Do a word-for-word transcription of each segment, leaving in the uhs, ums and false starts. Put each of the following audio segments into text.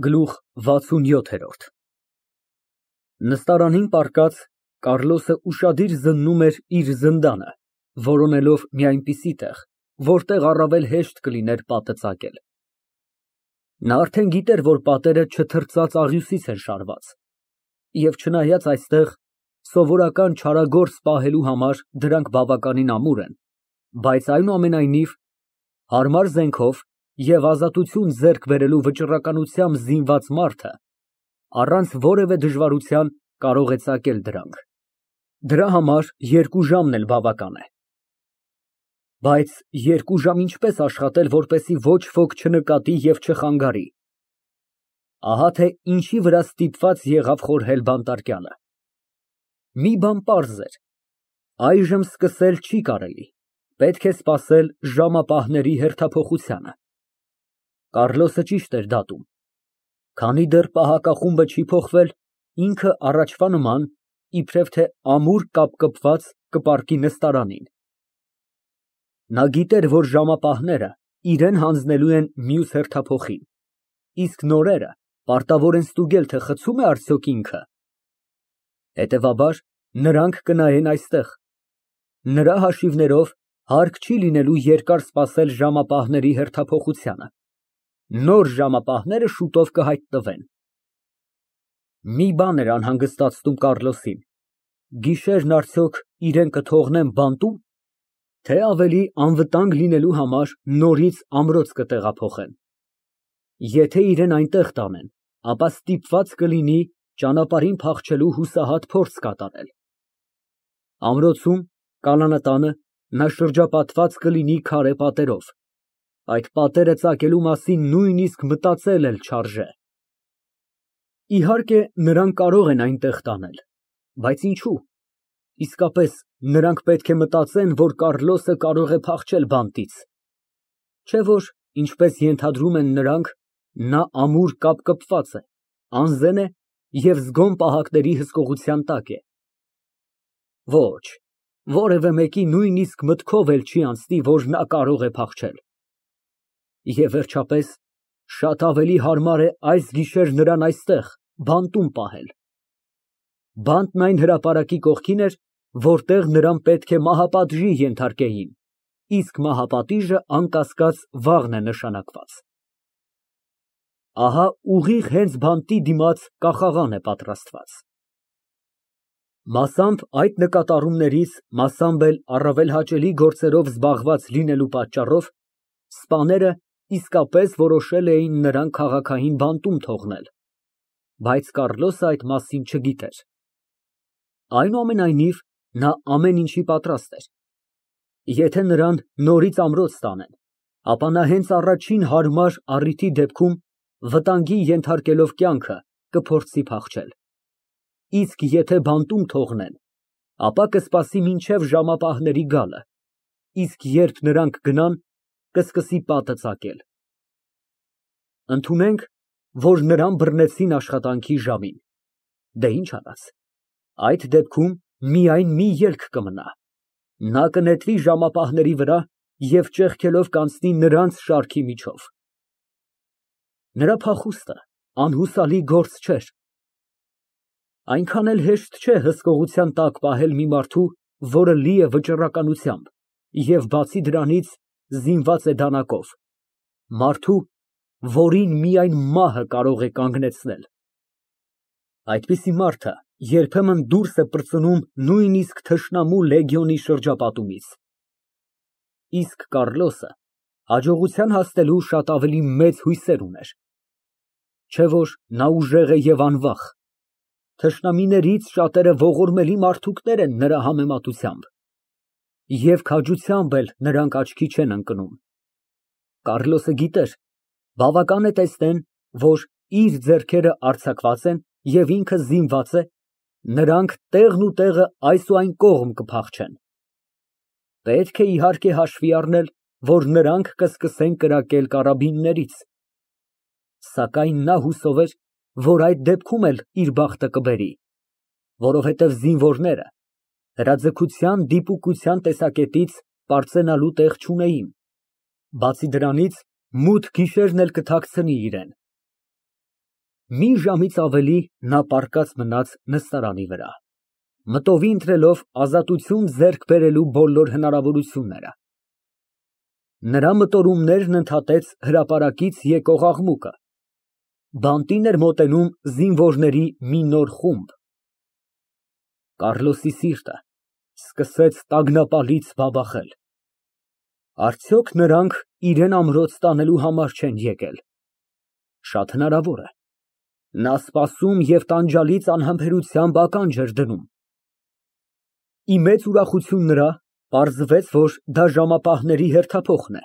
Գլուխ վաթսունյոթ Նստարանին պառկած, Կառլոսը ուշադիր զննում էր իր զնդանը, որոնելով մի այնպիսի տեղ, որտեղ առավել հեշտ կլիներ պատը ծակել։ Նա արդեն գիտեր, որ պատերը չթրծած աղյուսից են շարված, և չնայած այստեղ սովորական չարագործ պահելու համար դրանք բավականին ամուր են, բայց այնուամենայնիվ, հարմար զենքով և ազատություն ձեռք բերելու վճռականությամբ զինված մարդը առանց որևէ դժվարության կարող է ծակել դրանք, դրա համար երկու ժամն էլ բավական է։ Բայց երկու ժամ ինչպես աշխատել, որպեսզի ոչ ոք չնկատի և չխանգարի։ Ահա թե ինչի վրա ստիպված եղավ խորհել բանտարկյալը։ Մի բան պարզ էր. այժմ սկսել չի կարելի, պետք է սպասել ժամապահների հերթափոխությանը։ Կառլոսը ճիշտ էր դատում։ Քանի դեռ պահակախումբը չի փոխվել, ինքը առաջվա նման, իբրև թե ամուր կապկպված, կպառկի նստարանին։ Նա գիտեր, որ ժամապահները իրան հանձնելու են մյուս հերթափոխին, իսկ նորերը պարտավոր են ստուգել, թե խցո՞ւմ է արդյոք ինքը։ Հետևաբար, նրանք կնայեն այստեղ։ Նրա հաշիվներով, հարկ չի լինելու երկար սպասել ժամապահների հերթափոխությանը։ Նոր ժամապահները շուտով կհայտնվեն։ Մի բան էր անհանգստացնում Կառլոսին. գիշերն արդյոք իրան կթողնեն բանտո՞ւմ, թե ավելի անվտանգ լինելու համար նորից ամրոց կտեղափոխեն։ Եթե իրան այնտեղ տանեն, ապա ստիպված կլինի ճանապարհին փախչելու հուսահատ փորձ կատարել։ Ամրոցում, կալանատանը, նա շրջապատված կլինի քարե պատերով, այդ պատերը ծակելու մասին նույնիսկ մտածել էլ չարժե։ Իհարկե, նրան կարող են այնտեղ տանել, բայց ինչո՞ւ։ Իսկապես, նրանք պետք է մտածեն, որ Կառլոսը կարող է փախչել բանտից, չէ՞ որ, ինչպես ենթադրում են նրանք, նա ամուր կապկպված է, անզեն է և զգոն պահակների հսկողության տակ է։ Ոչ, որևէ մեկի նույնիսկ մտքով էլ չի անցնի, որ նա կարող է փախչել։ Եվ վերջապես, շատ ավելի հարմար է այս գիշեր նրան այստեղ, բանտում պահել։ Բանտն այն հրապարակի կողքին էր, որտեղ նրան պետք է մահապատժի ենթարկեին, իսկ մահապատիժը, անկասկած, վաղն է նշանակված։ Ահա ուղիղ հենց բանտի դիմաց կախաղան է պատրաստված։ Մասամբ այդ նկատառումներից, մասամբ էլ առավել հաճելի գործերով զբաղված լինելու պատճառով սպաները իսկապես որոշել էին նրան քաղաքային բանտում թողնել, բայց Կառլոսը այդ մասին չգիտեր։ Այնուամենայնիվ, նա ամեն ինչի պատրաստ էր։ Եթե նրան նորից ամրոց տանեն, ապա նա հենց առաջին հարմար առիթի դեպքում, վտանգի ենթարկելով կյանքը, կփորձի փախչել։ Իսկ եթե բանտում թողնեն, ապա կսպասի մինչև ժամապահների գալը, իսկ երբ նրանք գնան, կսկսի պատը ծակել։ Ընդունենք, որ նրան բռնեցին աշխատանքի ժամին, դե ինչ արած, այդ դեպքում միայն մի ելք կմնա. նա կնետվի ժամապահների վրա և ճեղքելով կանցնի նրանց շարքի միջով։ Նրա փախուստը անհուսալի գործ չէր։ Այնքան էլ հեշտ չէ հսկողության տակ պահել մի մարդու, որը լի է վճռականությամբ և, բացի դրանից, զինված է դանակով, մարդու, որին միայն մահը կարող է կանգնեցնել։ Այդպիսի մարդը երբեմն դուրս է պրծնում նույնիսկ թշնամու լեգիոնի շրջապատումից։ Իսկ Կառլոսը հաջողության հասնելու շատ ավելի մեծ հույսեր ուներ։ Չէ՞ որ նա ուժեղ է և անվախ, թշնամիներից շատերը ողորմելի մարդուկներ են նրա համեմատությամբ, և քաջությամբ էլ նրանք աչքի չեն ընկնում։ Կառլոսը գիտեր, բավական է տեսնեն, որ իր ձեռքերը արձակված են և ինքը զինված է, նրանք տեղն ու տեղը այս ու այն կողմ կփախչեն։ Պետք է, իհարկե, հաշվի առնել, որ նրանք կսկսեն կրակել կարաբիններից, սակայն նա հուսով էր, որ այդ դեպքում էլ իր բախտը կբերի, որովհետև զինվորները հրաձգության դիպուկության տեսակետից պարծենալու տեղ չունեին, բացի դրանից, մութ գիշերն էլ կթաքցնի իրան։ Մի ժամից ավելի նա պառկած մնաց նստարանի վրա, մտովի ընտրելով ազատություն ձեռք բերելու բոլոր հնարավորությունները։ Նրա մտորումներն ընդհատեց հրապարակից եկող աղմուկը։ Բանտին էր մոտենում զինվորների մի նոր խումբ։ Կարլոսի սիրտը սկսեց տագնապալից բաբախել։ Արդյոք նրանք իրան ամրոց տանելու համար չեն եկել։ Շատ հնարավոր է։ Նա սպասում և տանջալից անհամբերությամբ ականջ էր դնում։ Ի մեծ ուրախություն նրա, պարզվեց, որ դա ժամապահների հերթափոխն է։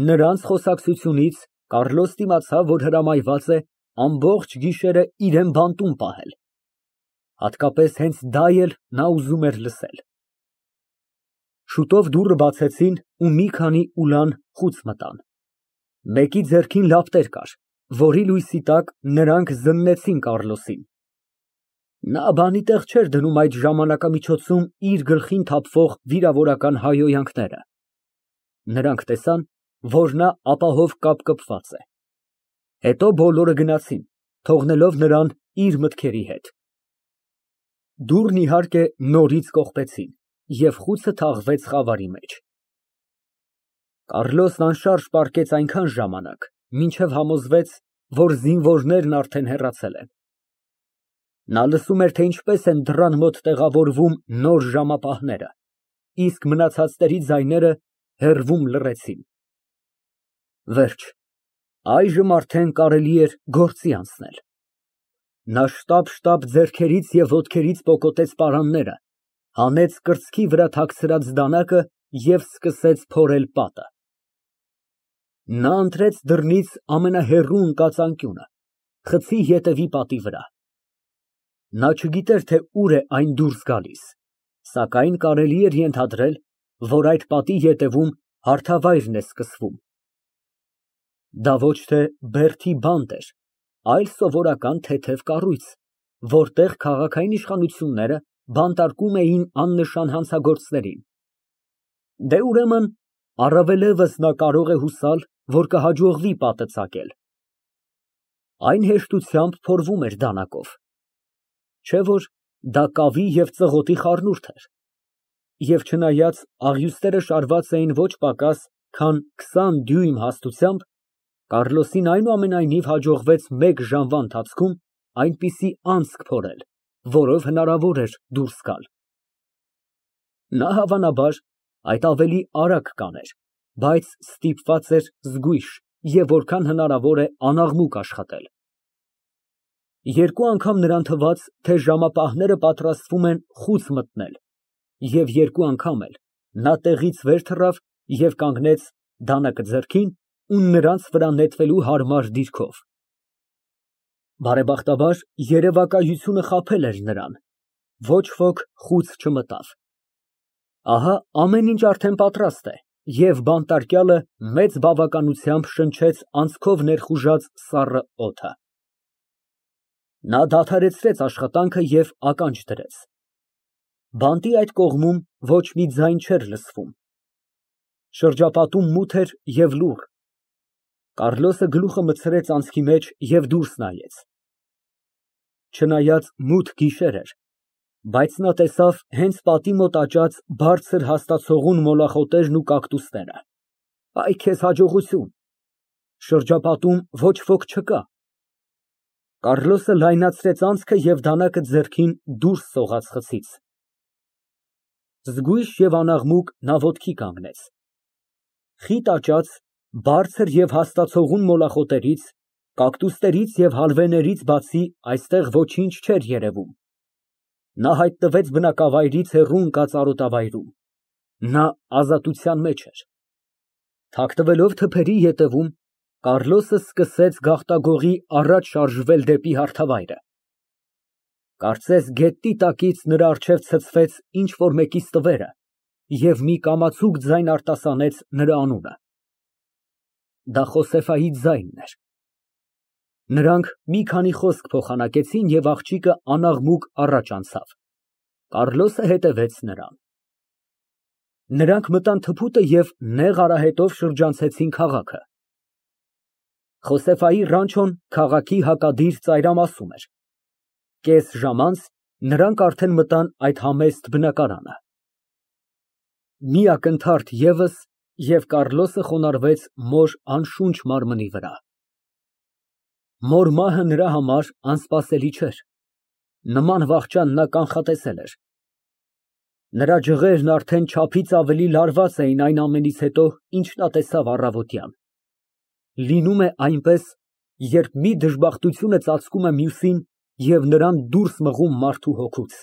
Նրանց խոսակցությունից Կարլոսն իմացավ, որ հրամայված է ամբողջ գիշերը իրան բանտում պահել։ Հատկապես հենց դա էլ նա ուզում էր լսել։ Շուտով դուռը բացեցին ու մի քանի ուլան խուց մտան։ Մեկի ձեռքին լապտեր կար, որի լույսի տակ նրանք զննեցին Կարլոսին։ Նա բանի տեղ չէր դնում այդ ժամանակամիջոցում իր գլխին թափվող վիրավորական հայհոյանքները։ Նրանք տեսան, որ նա ապահով կապկպված է։ Հետո բոլորը գնացին, թողնելով նրան իր մտքերի հետ։ Դուռն, իհարկե, նորից կողպեցին, և խուցը թաղվեց խավարի մեջ։ Կարլոսն անշարժ պառկեց այնքան ժամանակ, մինչև համոզվեց, որ զինվորներն արդեն հեռացել են։ Նա լսում էր, թե ինչպես են դռան մոտ տեղավորվում նոր ժամապահները, իսկ մնացածների ձայները հեռվում լռեցին։ Վերջ, այժմ արդեն կարելի էր գործի անցնել։ Նա շտապ֊շտապ ձեռքերից և ոտքերից պոկոտեց պարանները, հանեց կրծքի վրա թաքցրած դանակը և սկսեց փորել պատը։ Նա ընտրեց դռնից ամենահեռու ընկած անկյունը, խցի ետևի պատի վրա։ Նա չգիտեր, թե ուր է այն դուրս գալիս, սակայն կարելի էր ենթադրել, որ այդ պատի ետևում հարթավայրն է սկսվում։ Դա ոչ թե բերդի բանտ էր, այլ սովորական թեթև կառույց, որտեղ քաղաքային իշխանությունները բանտարկում էին աննշան հանցագործներին։ Դե, ուրեմն, առավելևս նա կարող է հուսալ, որ կհաջողվի պատը ծակել։ Այն հեշտությամբ փորվում էր դանակով։ Չէ՞ որ դա կավի և ծղոտի խառնուրդ էր։ Եվ չնայած աղյուսները շարված էին ոչ պակաս, քան քսան դյույմ հաստությամբ, Կարլոսին այնուամենայնիվ հաջողվեց մեկ ժամվա ընթացքում այնպիսի անցք փորել, որով հնարավոր էր դուրս գալ։ Նա, հավանաբար, այդ ավելի արագ կաներ, բայց ստիպված էր զգույշ և որքան հնարավոր է անաղմուկ աշխատել։ Երկու անգամ նրան թվաց, թե ժամապահները պատրաստվում են խուց մտնել, և երկու անգամ էլ նա տեղից վեր թռավ և կանգնեց դանակը ձեռքին ու նրանց վրա նետվելու հարմար դիրքով։ Բարեբախտաբար, երևակայությունը խաբել էր նրան, ոչ ոք խուց չմտավ։ Ահա ամեն ինչ արդեն պատրաստ է, և բանտարկյալը մեծ բավականությամբ շնչեց անցքով ներխուժած սառը օդը։ Նա դադարեցրեց աշխատանքը և ականջ դրեց։ Բանտի այդ կողմում ոչ մի ձայն չէր լսվում։ Շրջապատում մութ էր և լուռ։ Կարլոսը գլուխը մտցրեց անցքի մեջ և դուրս նայեց։ Չնայած մութ գիշեր էր, բայց նա տեսավ հենց պատի մոտ աճած բարձր հաստացողուն մոլախոտերն ու կակտուսները։ Այ քեզ հաջողություն։ Շրջապատում ոչ ոք չկա։ Կարլոսը լայնացրեց անցքը և դանակը ձեռքին դուրս սողաց խցից։ Զգույշ և անաղմուկ նա ոտքի կանգնեց։ Խիտ աճած, բարձր և հաստացողուն մոլախոտերից, կակտուսներից և հալվեներից բացի այստեղ ոչինչ չէր երևում։ Նա հայտնվեց բնակավայրից հեռու ընկած արոտավայրում։ Նա ազատության մեջ էր։ Թաքնվելով թփերի ետևում, Կարլոսը սկսեց գաղտագողի առաջ շարժվել դեպի հարթավայրը։ Կարծես գետնի տակից նրա առջև ցցվեց ինչ֊որ մեկի ստվերը և մի կամացուկ ձայն արտասանեց նրա անունը։ Դա Խոսեֆայի ձայնն էր։ Նրանք մի քանի խոսք փոխանակեցին, և աղջիկը անաղմուկ առաջ անցավ։ Կարլոսը հետևեց նրան։ Նրանք մտան թփուտը և նեղ արահետով շրջանցեցին քաղաքը։ Խոսեֆայի ռանչոն քաղաքի հակադիր ծայրամասում էր։ Կես ժամ անց նրանք արդեն մտան այդ համեստ բնակարանը։ Մի ակնթարթ ևս, և Կառլոսը խոնարհվեց մոր անշունչ մարմնի վրա։ Մոր մահը նրա համար անսպասելի չէր։ Նման վախճան նա կանխատեսել էր։ Նրա ջղերն արդեն չափից ավելի լարված էին այն ամենից հետո, ինչ նա տեսավ առավոտյան։ Լինում է այնպես, երբ մի դժբախտությունը ծածկում է մյուսին և նրան դուրս մղում մարդու հոգուց։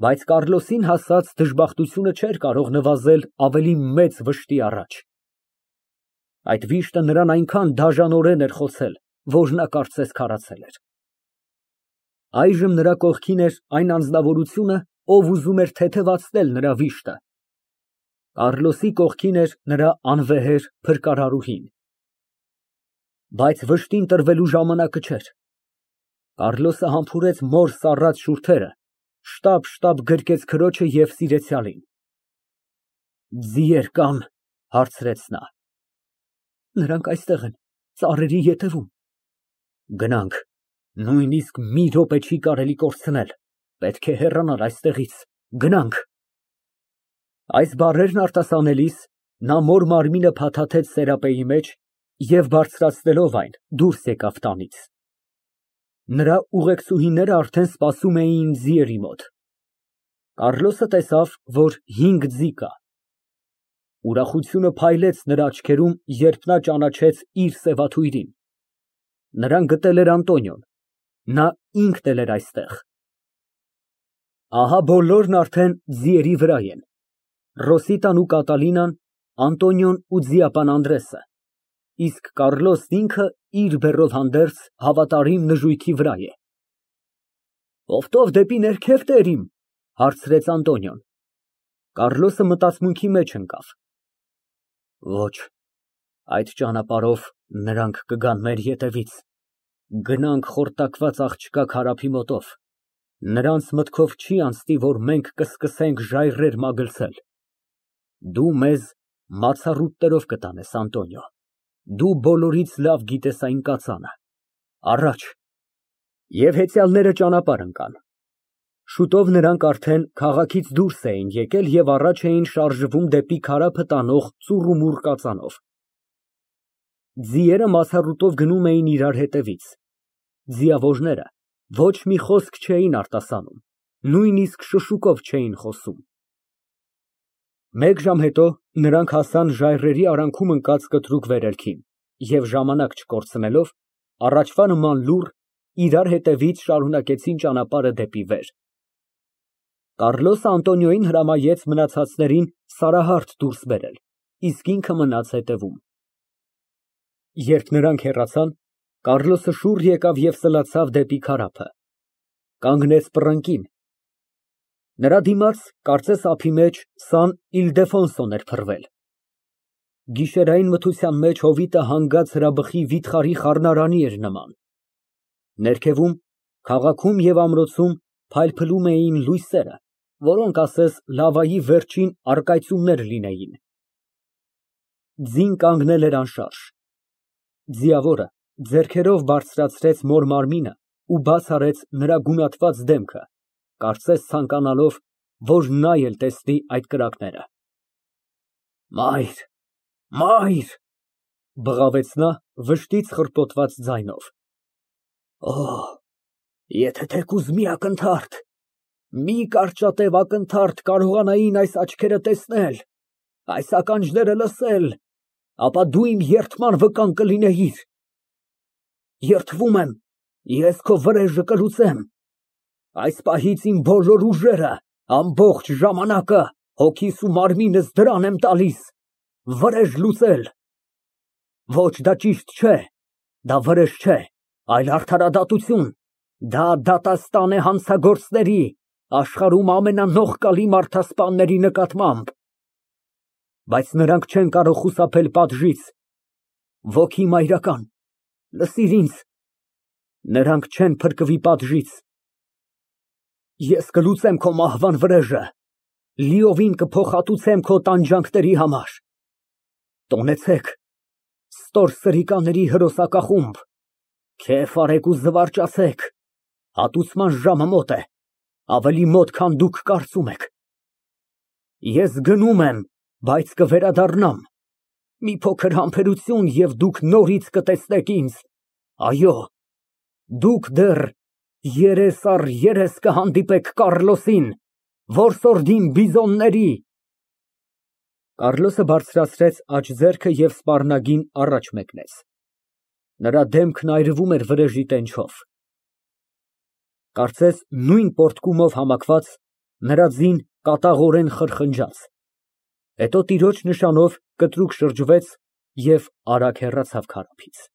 Բայց Կառլոսին հասած դժբախտությունը չէր կարող նվազել ավելի մեծ վշտի առաջ։ Այդ վիշտը նրան այնքան դաժանորեն էր խոցել, որ նա կարծես քարացել էր։ Այժմ նրա կողքին էր այն անձնավորությունը, ով ուզում էր թեթևացնել նրա վիշտը։ Կառլոսի կողքին էր նրա անվեհեր փրկարարուհին։ Բայց վշտին տրվելու ժամանակը չէր։ Կառլոսը համբուրեց մոր սառած շուրթերը, շտապ֊շտապ գրկեց քրոջը և սիրեցյալին։ Ձիեր կա՞ն, հարցրեց նա։ Նրանք այստեղ են, ծառերի ետևում։ Գնանք, նույնիսկ մի րոպե չի կարելի կորցնել, պետք է հեռանալ այստեղից, գնանք։ Այս բառերն արտասանելիս նա մոր մարմինը փաթաթեց սերապեի մեջ և բարձրացնելով այն, դուրս եկավ տանից։ Նրա ուղեկցուհիները արդեն սպասում էին ձիերի մոտ։ Կառլոսը տեսավ, որ հինգ ձի կա։ Ուրախությունը փայլեց նրա աչքերում, երբ նա ճանաչեց իր սևաթույրին։ Նրան գտել էր Անտոնիոն, նա ինքն էլ էր այստեղ։ Ահա բոլորն արդեն ձիերի վրա են, Ռոսիտան ու Կատալինան, Անտոնիոն ու ձիապան Անդրեսը, իսկ Կառլոսն ինքը իր բեռով հանդերձ հավատարիմ նժույգի վրա է։ Օգտով դեպի ներքև, տերիմ, հարցրեց Անտոնիոն։ Կառլոսը մտածմունքի մեջ ընկավ։ Ոչ, այդ ճանապարհով նրանք կգան մեր ետևից, գնանք խորտակված աղջկա քարափի մոտով, նրանց մտքով չի անցնի, որ մենք կսկսենք ժայռեր մագլցել։ Դու մեզ մացառուտներով կտանես, Անտոնիո, դու բոլորից լավ գիտես այն կածանը, առաջ։ Եվ հեծյալները ճանապարհ ընկան։ Շուտով նրանք արդեն քաղաքից դուրս էին եկել և առաջ էին շարժվում դեպի քարափը տանող ծուռումուռ կածանով։ Ձիերը մասառուտով գնում էին իրար հետևից։ Ձիավորները ոչ մի խոսք չէին արտասանում, նույնիսկ շշուկով չէին խոսում։ Մեկ ժամ հետո նրանք հասան ժայռերի արանքում ընկած կտրուկ վերելքին և ժամանակ չկորցնելով, առաջվա նման լուռ, իրար հետևից շարունակեցին ճանապարհը դեպի վեր։ Կառլոսը Անտոնիոյին հրամայեց մնացածներին Սարահարթ դուրս բերել, իսկ ինքը մնաց հետևում։ Երբ նրանք հեռացան, Կառլոսը շուռ եկավ և սլացավ դեպի քարափը, կանգնեց պռնկին։ Նրա դիմաց, կարծես ափի մեջ, Սան Իլդեֆոնսոն էր փռվել։ Գիշերային մթության մեջ հովիտը հանգած հրաբխի վիթխարի խառնարանի էր նման։ Ներքևում, քաղաքում և ամրոցում փայլփլում էին լույսերը, որոնք ասես լավայի վերջին առկայծումներ լինեին։ Ձին կանգնել էր անշարժ։ Ձիավորը ձեռքերով բարձրացրեց մոր մարմինը ու բաց արեց նրա գունատված դեմքը, կարծես ցանկանալով, որ նա էլ տեսնի այդ կրակները։ Մայր, մայր, բղավեց նա վշտից խռպոտված ձայնով։ Օհ, եթե թեկուզ մի ակնթարթ, մի կարճատև ակնթարթ կարողանային այս աչքերը տեսնել, այս ականջները լսել, ապա դու իմ երդման վկան կլինեիր։ Երդվում եմ, ես քո վրեժը կլուծեմ։ Այս պահից իմ բոլոր ուժերը, ամբողջ ժամանակը, հոգիս ու մարմինս դրան եմ տալիս, վրեժ լուծել։ Ոչ, դա ճիշտ չէ, դա վրեժ չէ, այլ արդարադատություն, դա դատաստան է հանցագործների, աշխարհում ամենանողկալի մարդասպանների նկատմամբ։ Բայց նրանք չեն կարող խուսափել պատժից։ Ոգի մայրական, լսիր ինձ, նրանք չեն փրկվի պատժից։ Ես կլուծեմ քո մահվան վրեժը, լիովին կփոխհատուցեմ քո տանջանքների համար։ Տոնեցեք, ստոր սրիկաների հրոսակախումբ, քեֆ արեք ու զվարճացեք, հատուցման ժամը մոտ է, ավելի մոտ, քան դուք կարծում եք։ Ես գնում եմ, բայց կվերադառնամ, մի փոքր համբերություն, և դուք նորից կտեսնեք ինձ, այո, դուք դեռ երես առ երես կհանդիպեք Կառլոսին, որսորդին բիզոնների։ (Կառլոսը բարձրացրեց աջ ձեռքը և սպառնագին առաջ մեկնեց. նրա դեմքն այրվում էր վրեժի տենչով, կարծես նույն պոռթկումով համակված, նրա ձին կատաղորեն խրխնջաց, հետո տիրոջ նշանով կտրուկ շրջվեց և արագ հեռացավ քարափից)։